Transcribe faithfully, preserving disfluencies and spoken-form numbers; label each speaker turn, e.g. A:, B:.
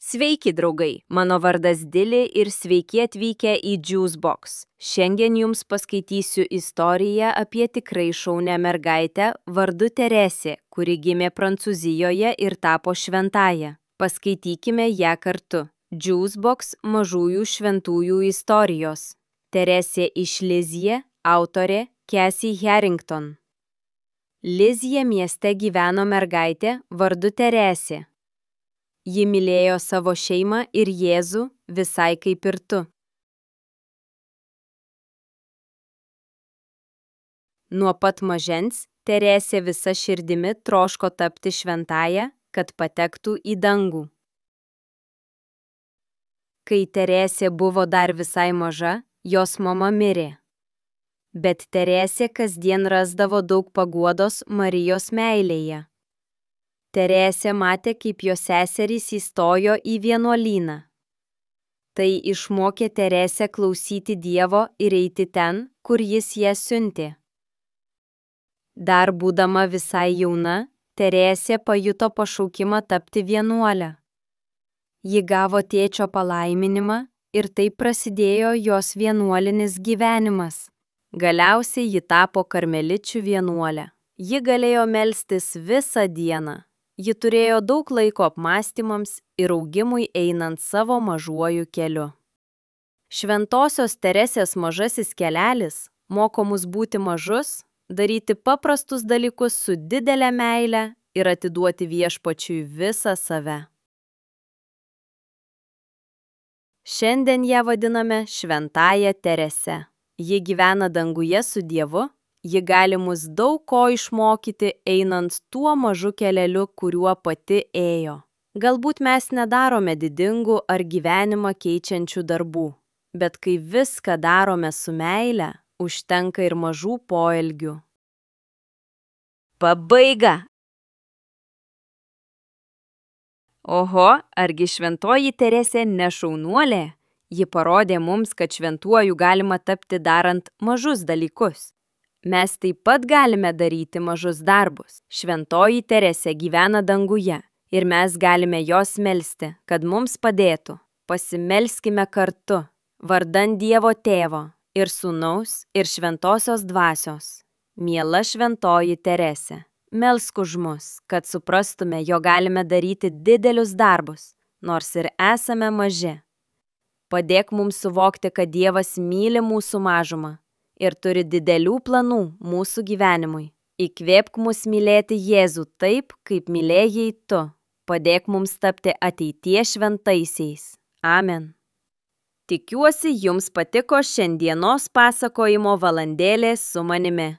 A: Sveiki, draugai! Mano vardas Dili ir sveiki atvykę į Juicebox. Šiandien jums paskaitysiu istoriją apie tikrai šaunią mergaitę vardu Teresė, kuri gimė Prancūzijoje ir tapo šventąja. Paskaitykime ją kartu. Juicebox mažųjų šventųjų istorijos. Teresė iš Lizie, autorė Cassie Harrington. Lizie mieste gyveno mergaitė vardu Teresė. Ji mylėjo savo šeimą ir Jėzų visai kaip ir tu. Nuo pat mažens Teresė visa širdimi troško tapti šventąja, kad patektų į dangų. Kai Teresė buvo dar visai maža, jos mama mirė. Bet Teresė kasdien rasdavo daug paguodos Marijos meilėje. Teresė matė, kaip jos seserys įstojo į vienuolyną. Tai išmokė Teresę klausyti Dievo ir eiti ten, kur jis ją siuntė. Dar būdama visai jauna, Teresė pajuto pašaukimą tapti vienuolę. Ji gavo tėčio palaiminimą ir taip prasidėjo jos vienuolinis gyvenimas. Galiausiai ji tapo karmeličių vienuolė. Ji galėjo melstis visą dieną. Ji turėjo daug laiko apmąstymams ir augimui einant savo mažuoju keliu. Šventosios Teresės mažasis kelelis moko mus būti mažus, daryti paprastus dalykus su didele meile ir atiduoti Viešpačiui visą save. Šiandien ją vadiname Šventąja Terese. Ji gyvena danguje su Dievu. Ji gali mus daug ko išmokyti einant tuo mažu keleliu, kuriuo pati ėjo. Galbūt mes nedarome didingų ar gyvenimą keičiančių darbų, bet kai viską darome su meile, užtenka ir mažų poelgių. Pabaiga! Oho, argi šventoji Teresė ne šaunuolė? Ji parodė mums, kad šventuoju galima tapti darant mažus dalykus. Mes taip pat galime daryti mažus darbus. Šventoji Teresė gyvena danguje ir mes galime jos melsti, kad mums padėtų. Pasimelskime kartu, vardan Dievo Tėvo ir Sūnaus ir Šventosios Dvasios. Miela šventoji Teresė, melsk už mus, kad suprastume, jog galime daryti didelius darbus, nors ir esame maži. Padėk mums suvokti, kad Dievas myli mūsų mažumą ir turi didelių planų mūsų gyvenimui. Įkvėpk mus mylėti Jėzų taip, kaip mylėjai tu. Padėk mums tapti ateities šventaisiais. Amen. Tikiuosi, jums patiko šiandienos pasakojimo valandėlė su manimi.